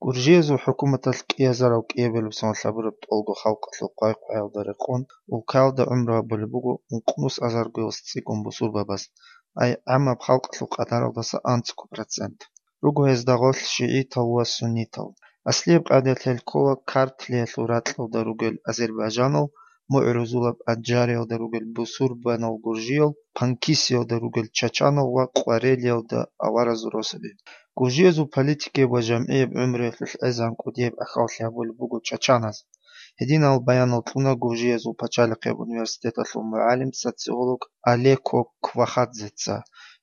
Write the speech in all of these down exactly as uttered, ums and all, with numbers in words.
Гуржиязул хӀукуматалъ кӀиазарав кӀиабилеб соналъ гьабураб тӀолго халкъалъул хъвай-хъваялда рекъон улкаялда гӀумру гьабулеб буго ункънус азарго цӀикӀкӀун бусурбабаз, ай гӀаммаб халкъалъул къадаралдаса анцӀго процент. Руго гьезда гъорлъ шигӀитал ва суннитал. Аслияб къагӀидаялъ гьел ккола Картлиялъул ракьалда ругел азербайжанал, мугӀрузулаб Аджариялда ругел бусурбанал гуржиял, Панкисиялда ругел чачанал ва Къварелиялда аваразул росаби. Гуржиязул политикияб ва жамгӀияб гӀумруялъулъ гӀезегӀан кӀудияб ахӀваллъи гьабулеб буго чачаназ. Гьединал баянал кьуна Гуржиязул пачалихъияб университеталъул мугӀалим, социолог Алеко Квахадзеца.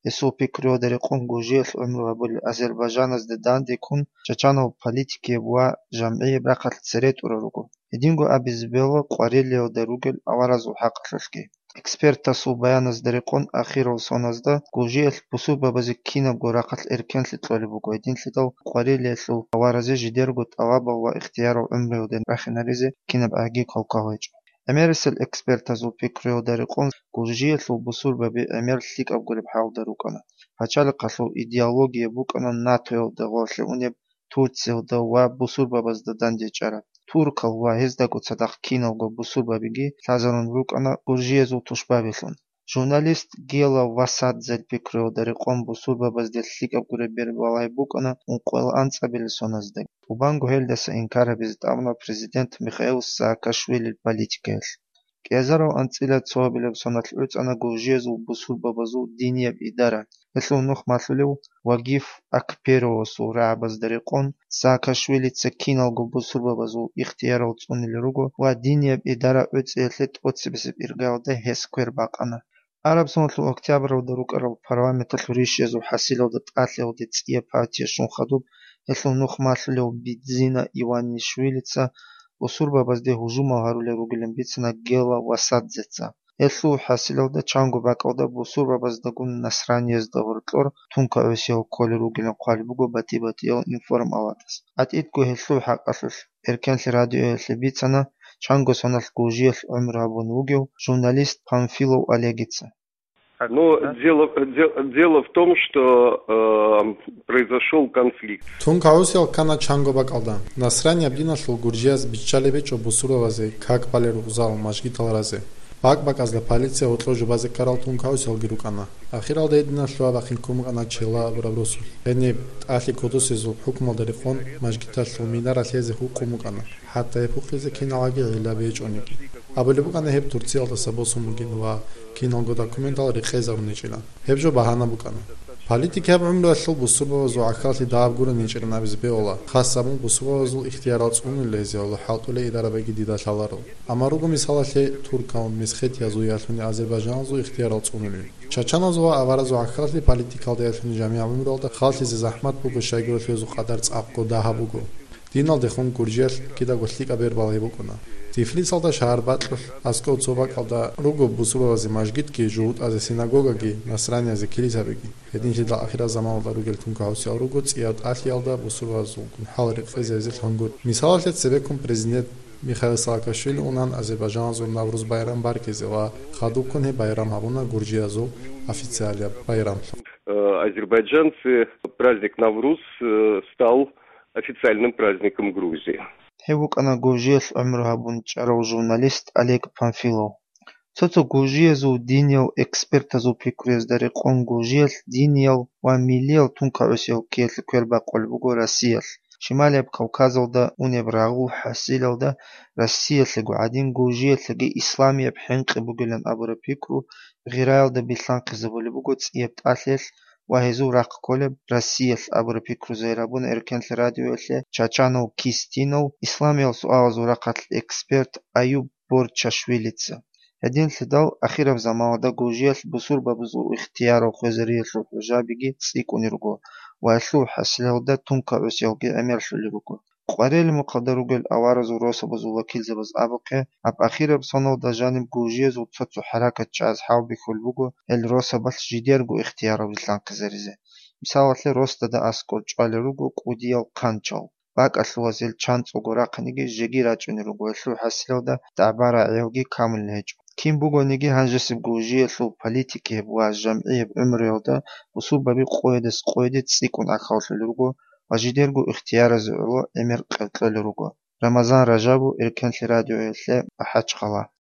Гьесул пикруялда рекъон гуржиялъ гӀумру гьабулел азербайжаназда данде ккун чачанал политикияб ва жамгӀияб рахъалъ цере тӀура руго. Гьединго абизе бегьула Къварелиялда ругел аваразул хӀакъалъулъги. Экспертасул баяназда рекъон ахирал соназда гуржиялъ бусурбабазе кинабго рахъалъ эркенлъи кьолеб буго, гьединлъидал Къварелиялъул аваразе жидерго тӀалабал ва ихтиярал гӀумруялде рахинаризе кинаб гӀаги квалквал гьечӀо. ГӀемерисел экспертазул пикруялда рекъон гуржиялъул бусурбаби гӀемер лъикӀаб гуреб хӀалда рукӀана. Пачалихъалъул идеология букӀана НАТОялда гъорлъе унеб Турциялда ва бусурбабазда дандечӀараб. Туркал ва гьездаго цадахъ киналго бусурбабиги лъазарун рукӀана гуржиязул тушбабилъун. Журналист Гела Васадзел пикруялда рекъон бусурбабазде лъикӀаб гуреб бербалай букӀана ункъоялда анцӀабилеб соназда. ТӀубанго гьелдаса инкар гьабизе тӀамуна президент Михаил Саакашвилил политикаялъ. КӀиазарал анцӀила цоабилеб соналъ гӀуцӀана гуржиязул бусурбабазул динияб идара, гьелъул нух малъулев Вагиф Акперовасул рагӀабазда рекъон, Саакашвилица киналго бусурбабазул ихтиярал цӀунилел руго ва динияб идара гӀуцӀиялъе тӀоцебесеб иргаялда гьес квер бакъана. Араб соналъул октябралда рукӀарал парламенталъул ришиязул хӀасилалда тӀалъиялде цӀияб партия щун хадуб, гьелъул нух малъулев Бидзина Иванишвилица бусурбабазде гьужумал гьарулел ругилан бицана Гела Васадзеца. Гьелъул хӀасилалда чанго бакӀалда бусурбабаздагун насраниязда гьоркьор тункагӀусиял кколел ругилан хъвалеб буго батӀи-батӀиял информалатас. ГӀатӀидго гьелъул хӀакъалъулъ Эркенлъи радиоялъе бицана чанго соналъ гуржиялъ гӀумру гьабун вугев журналист Памфилов Олегица. Ну, дело, де- дело в том, что э, произошел конфликт. Тункагьусиял ккана чанго бакӀалда. Насранияб диналъул гуржияз биччалеб гьечӀо бусурбабазе как балел ругзал, мажгитал разе. БакӀ-бакӀазда полиция гьоркьор жубазе ккарал тункагьусиялги рукӀана. Ахиралда гьединалъ бахъин ккун букӀана Чела абураб росулъ. Гьениб тӀалъи кодосезул хӀукмалда рекъон мажгиталъул минара лъезе гьукъун букӀана. ХӀатта гьеб гьукъизе киналги гӀиллаби гьечӀониги. Абулеб букӀана гьеб Турциялдаса босун бугин ва киналго документал рекъезабун гьечӀилан. Гьеб жо багьана букӀана. Политикияб гӀумруялъул бусурбабазул гӀахьаллъи дагьаб гурони гьечӀилан абизе бегьула, хас абун бусурбабазул ихтиярал цӀунулел гьезие ва хӀалтӀулел идарабиги дида лъаларо. Амма руго мисалалъе туркал, месхетиязул ялъуни азербайжаналъул ихтиярал цӀунулел. Чачаназул ва аваразул гӀахьаллъи политикалда ялъуни жамигӀ гӀумруялда халлъизе захӀмат буго, щайгурелъул гьезул къадар цӀакъго дагьаб буго. Диналдехун гуржиялъ кидаго лъикӀаб бербал гьеб букӀуна. Тифлисалда шагьарбакьулъ аскӀов цо бакӀалда руго бусурбабазе мажгитги, жугьутӀазе синагогаги, насраниязе килисабиги. Гьединлъидал ахирал заманалда ругел тункагьусиял руго цӀияб тӀалъиялда бусурбабазулгун хӀал рекъезе гьезулъ гьангур. Мисалалъе, цебеккун президент Михаил Саакашвили унан азербайжаналъул Навруз байрам баркизе ва хадубккун гьеб байрам гьабуна гуржиязул официалияб байрамлъун. Э, азербайджанцы праздник Навруз э, стал официальным праздником Грузии. Гьев вукӀана Гуржиялъ гӀумру гьабун чӀарав журналист Олег Памфилов. Цо-цо гуржиязул диниял экспертазул пикруязда рекъон гуржиялъ диниял ва миллиял тункагӀусиял ккеялъе квер бакъулеб буго Россиялъ. Шималияб Кавказалда унеб рагъул хӀасилалда Россиялъего гӀадин гуржиялъеги исламияб хӀинкъи бугилан абураб пикру гъираялда билълъанхъизабулеб буго цӀияб тӀалъиялъ ва гьезул рахъ кколеб Россиялъ абураб пикру загьир гьабуна Эркенлъи радиоялъе чачанав Кистинов исламиял суалазул рахъалъ эксперт Аюб Борчашвилица. Гьединлъидал ахираб заманалда гуржиялъ бусурбабазул ихтиярал хвезариялъул хӀужабиги цӀикӀкӀунел руго ва гьелъул хӀасилалда тункагӀусиялги гӀемерлъулел руго. Къварелмухъалда ругел аваразул росабазул вакилзабаз абухъе, гьаб ахираб соналда жаниб гуржиязул цо-цо хӀаракат чӀваз хӀалбихьулеб буго гьел росабалъ жидерго ихтиярал билълъанхъизаризе. Мисалалъе, росдада аскӀор чӀвалел руго кӀудиял хъанчал. БакӀалъулазул чанцӀого рахъиниги жеги рачӀунел руго, гьелъул хӀасилалда дагӀба рагӀиялги камулел гьечӀо. Кин бугониги гьанжесеб гуржиялъул политикияб ва жамгӀияб гӀумруялда бусурбаби къоядас къояде цӀикӀкӀун ахӀулел руго, ва жидерго ихтияразе гӀоло гӀемер къеркьолел руго. Рамазан Ражабов, Эркенлъи радиоялъе, МахӀачхъала.